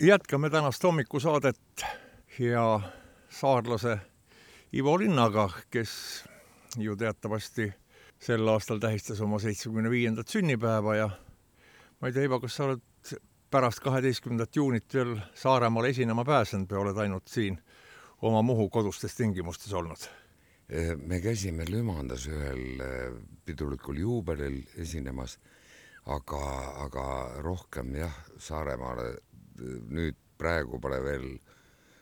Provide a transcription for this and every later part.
Jätkame tänast hommikusaadet ja saarlase Ivo Linnaga, kes ju teatavasti sel aastal tähistas oma 75. sünnipäeva ja ma ei tea, Ivo, kas sa oled pärast 12. juunit veel Saaremaal esinema pääsenud või oled ainult siin oma Muhu kodustes tingimustes olnud? Me käisime Lümandas ühel pidulikul juubelil esinemas, aga rohkem jah, Saaremaale nüüd praegu pole veel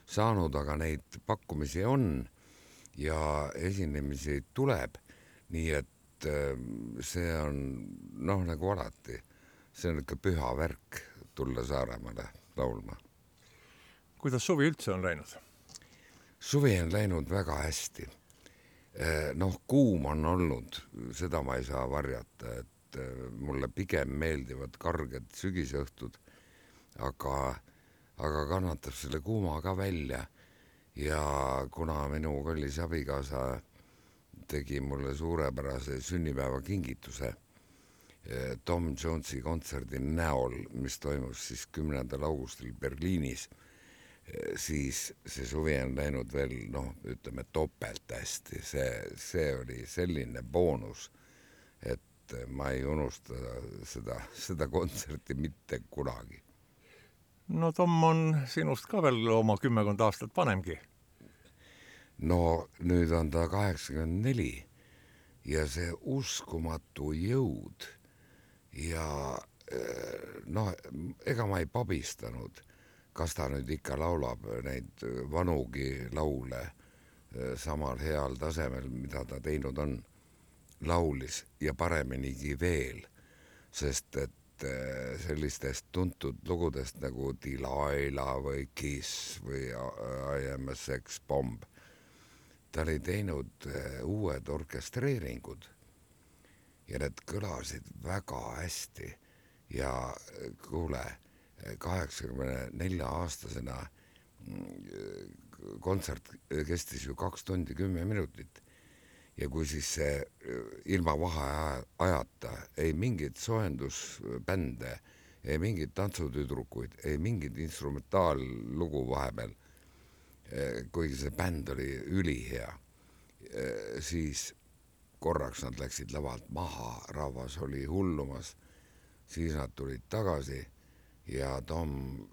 saanud, aga neid pakkumisi on ja esinemisi tuleb, nii et see on nagu alati, see on ikka püha värk tulla Saaremaale laulma. Kuidas suvi üldse on läinud? Suvi on läinud väga hästi. Kuum on olnud, seda ma ei saa varjata, et mulle pigem meeldivad karged sügisõhtud, aga kannatab selle kuuma ka välja ja kuna minu kallis abikaasa tegi mulle suurepärase sünnipäeva kingituse Tom Jonesi kontserdi näol, mis toimus siis 10. augustil Berliinis, siis see suvi on läinud veel, ütleme topelt hästi. See oli selline boonus, et ma ei unusta seda kontserti mitte kunagi. No Tom on sinust ka veel oma 10 aastat vanemgi. No nüüd on ta 84 ja see uskumatu jõud ja ega ma ei pabistanud, kas ta nüüd ikka laulab neid vanugi laule samal heal tasemel, mida ta teinud on, laulis ja pareminigi veel, sest et sellistest tuntud lugudest nagu Delilah või Kiss või I Am a Sex Bomb, ta oli teinud uued orkestreeringud ja need kõlasid väga hästi ja kuule, 84-aastasena kontsert kestis ju 2 tundi 10 minutit ja kui siis see ilma vaheajata ei mingit soojendusbände, ei mingit tantsutüdrukuid, ei mingit instrumentaallugu vahepeal, kuigi see bänd oli ülihea, siis korraks nad läksid lavalt maha, rahvas oli hullumas, siis nad tulid tagasi ja Tom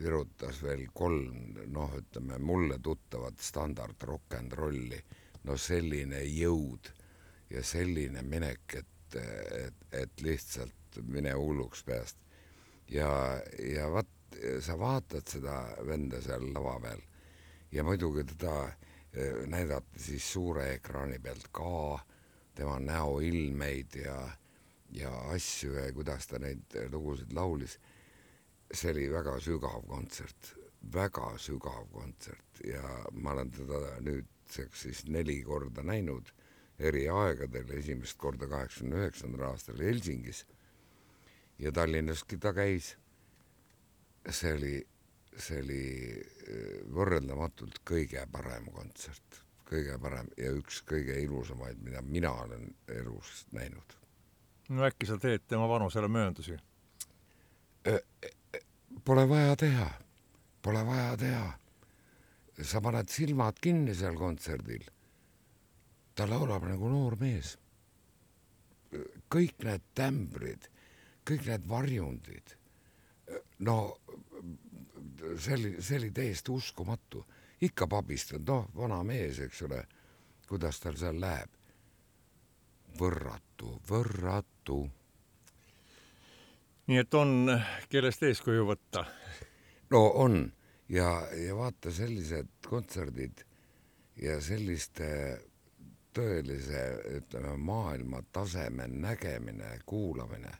virutas veel 3, ütleme mulle tuttavat standard rock and rolli, selline jõud ja selline minek, et lihtsalt mine hulluks peast. Ja sa vaatad seda venda seal lava peal ja muidugi teda näidati siis suure ekraani pealt ka, tema näoilmeid ja asju ja kuidas ta neid lugusid laulis. See oli väga sügav kontsert ja ma olen teda nüüdseks siis 4 korda näinud eri aegadel, esimest korda 89. aastal Helsingis ja Tallinnaski ta käis. See oli võrreldamatult kõige parem kontsert, kõige parem ja üks kõige ilusamaid, mida mina olen elus näinud. No äkki sa teed tema vanusele mööndusi? Pole vaja teha. Sa paned silmad kinni seal kontserdil. Ta laulab nagu noor mees. Kõik need tämbrid, kõik need varjundid. See oli täiesti uskumatu. Ikka pabistad, vana mees, eks ole, kuidas tal seal läheb. Võrratu. Nii et on, kellest eeskuju võtta? No on ja vaata sellised kontserdid ja selliste tõelise, ütleme, maailma taseme nägemine, kuulamine,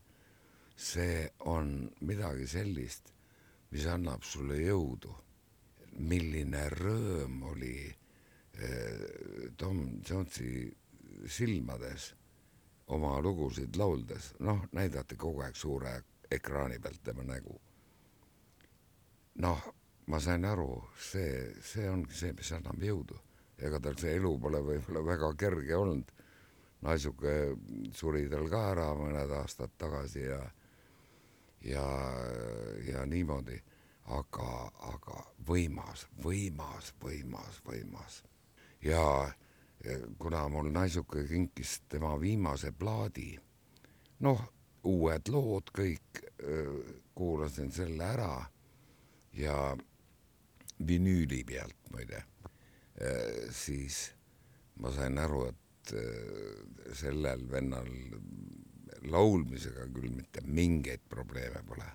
see on midagi sellist, mis annab sulle jõudu. Milline rõõm oli Tom Jonesi silmades oma lugusid lauldes, näidati kogu aeg suure ekraani pealt tema nägu. Ma sain aru, see ongi see, mis annab jõudu. Ega tal see elu pole võib-olla väga kerge olnud. Naisuke suri tal ka ära mõned aastad tagasi ja niimoodi. aga võimas. Ja kuna mul naisuke kinkis tema viimase plaadi, noh, uued lood kõik, kuulasin selle ära ja vinüüli pealt muide, siis ma sain aru, et sellel vennal laulmisega küll mitte mingeid probleeme pole.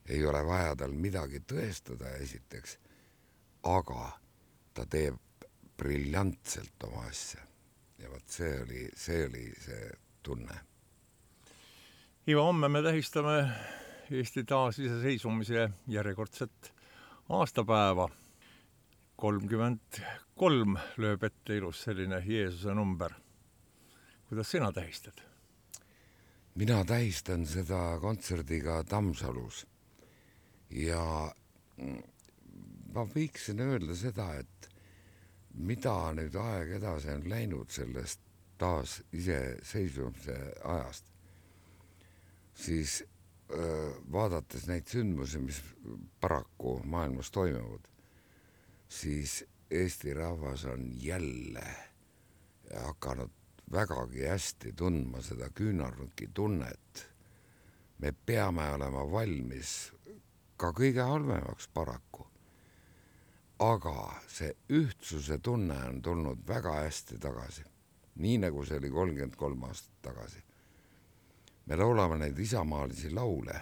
Ei ole vaja tal midagi tõestada esiteks, aga ta teeb briljantselt oma asja. Ja võt see oli see tunne. Ivo, homme me tähistame Eesti taasiseseisvumise järjekordset aastapäeva. 33 lööb ette ilus selline Jeesuse number. Kuidas sina tähistad? Mina tähistan seda kontserdiga Tammsalus ja ma võiksin öelda seda, et mida nüüd aeg edasi on läinud sellest taas iseseisvumise ajast, siis vaadates neid sündmusi, mis paraku maailmas toimuvad, siis Eesti rahvas on jälle hakanud vägagi hästi tundma seda küünarnuki tunnet. Me peame olema valmis ka kõige halvemaks paraku. Aga see ühtsuse tunne on tulnud väga hästi tagasi. Nii nagu see oli 33 aastat tagasi. Me laulame neid isamaalisi laule.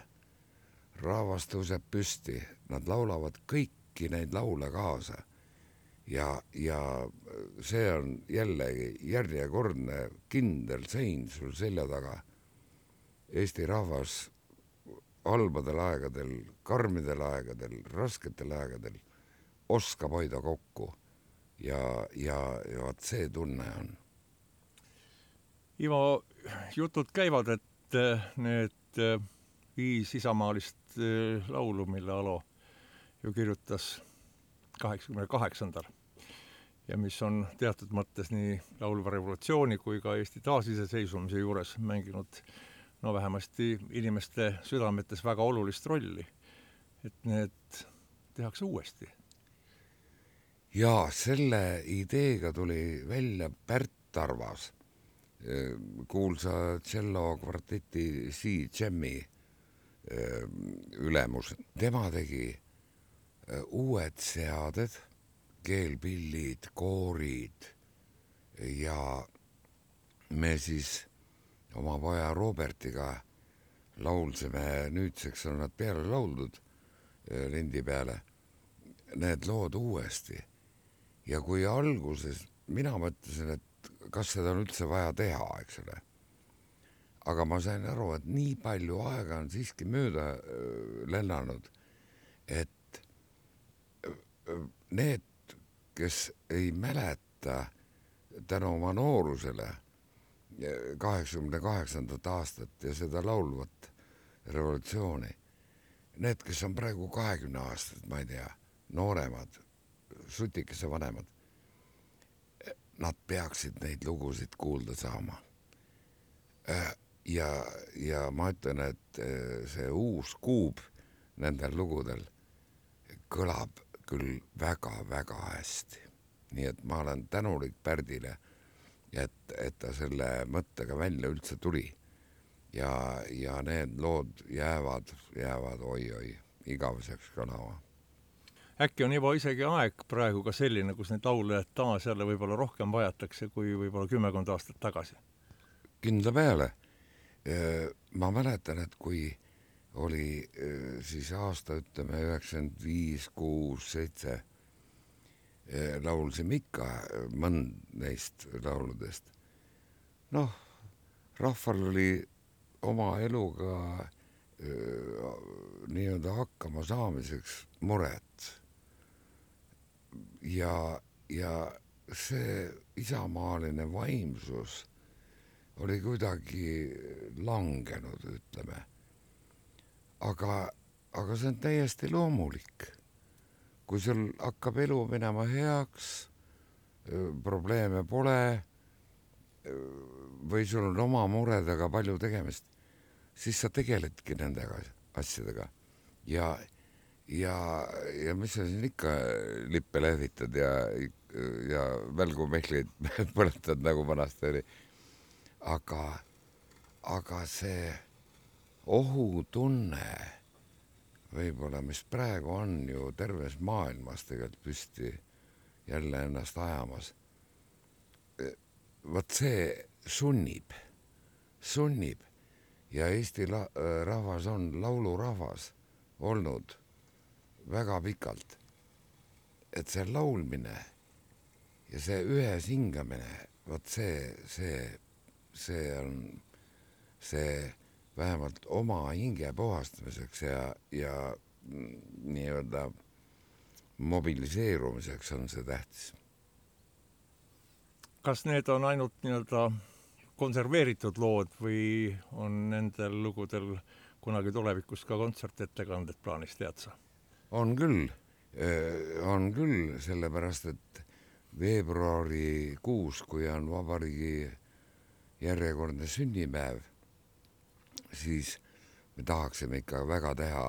Rahvas tõuseb püsti. Nad laulavad kõiki neid laule kaasa. Ja see on jällegi järjekordne kindel sein sul selja taga. Eesti rahvas halbadel aegadel, karmidel aegadel, rasketel aegadel oskab hoida kokku ja vaat see tunne on. Ivo, jutud käivad, et need 5 isamaalist laulu, mille Alo ju kirjutas 88. ja mis on teatud mõttes nii laulva revolutsiooni kui ka Eesti taasiseseisvumise juures mänginud vähemasti inimeste südametes väga olulist rolli, et need tehakse uuesti. Ja selle ideega tuli välja Pärt Tarvas, kuulsa cello kvarteti C-Jammi ülemus. Tema tegi uued seaded, keelpillid, koorid ja me siis oma poja Robertiga laulsime, nüüdseks on nad peale lauldud lindi peale, need lood uuesti. Ja kui alguses mina mõtlesin, et kas seda on üldse vaja teha, eks ole. Aga ma sain aru, et nii palju aega on siiski mööda lennanud, et need, kes ei mäleta tänu oma noorusele 88. aastat ja seda laulvat revolutsiooni, need, kes on praegu 20 aastat, ma ei tea, nooremad, sutikese vanemad, nad peaksid neid lugusid kuulda saama. Ja ma ütlen, et see uus kuub nendel lugudel kõlab küll väga-väga hästi. Nii et ma olen tänulik Pärdile, et ta selle mõttega välja üldse tuli. Ja need lood jäävad oi, igaveseks kõlama. Äkki on juba isegi aeg praegu ka selline, kus neid laule taas jälle võib-olla rohkem vajatakse kui võib-olla 10 aastat tagasi? Kindla peale. Ma mäletan, et kui oli siis aasta, ütleme, 95, 6, 7, laulsime ikka mõnd neist lauludest. Noh, rahval oli oma eluga nii-öelda hakkama saamiseks muret. Ja see isamaaline vaimsus oli kuidagi langenud, ütleme. Aga see on täiesti loomulik. Kui sul hakkab elu minema heaks, probleeme pole või sul on oma muredega palju tegemist, siis sa tegeledki nende asjadega. ja mis sa siin ikka lippe lehvitad ja välgumehleid põletad, nagu vanasti oli. Aga see ohutunne võib-olla, mis praegu on ju terves maailmas tegelikult püsti jälle ennast ajamas, vot see sunnib ja Eesti rahvas on laulurahvas olnud väga pikalt. Et see laulmine ja see ühes hingamine, vot see on see vähemalt oma hinge puhastamiseks ja nii-öelda mobiliseerumiseks on see tähtis. Kas need on ainult nii-öelda konserveeritud lood või on nendel lugudel kunagi tulevikus ka kontsertettekanded plaanis, tead sa? On küll, sellepärast et veebruarikuus, kui on vabariigi järjekordne sünnipäev, siis me tahaksime ikka väga teha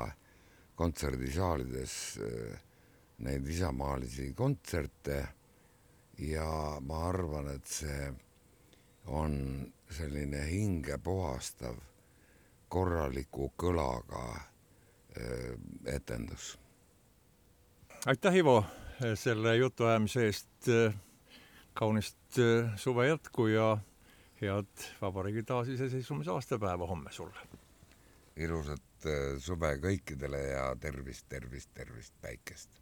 kontserdisaalides neid isamaalisi kontserte ja ma arvan, et see on selline hinge puhastav korraliku kõlaga etendus. Aitäh, Ivo, selle jutuajamise eest. Kaunist suve jätku ja head vabariigi taasiseseisvumise aastapäeva homme sulle. Ilusat suve kõikidele ja tervist päikest.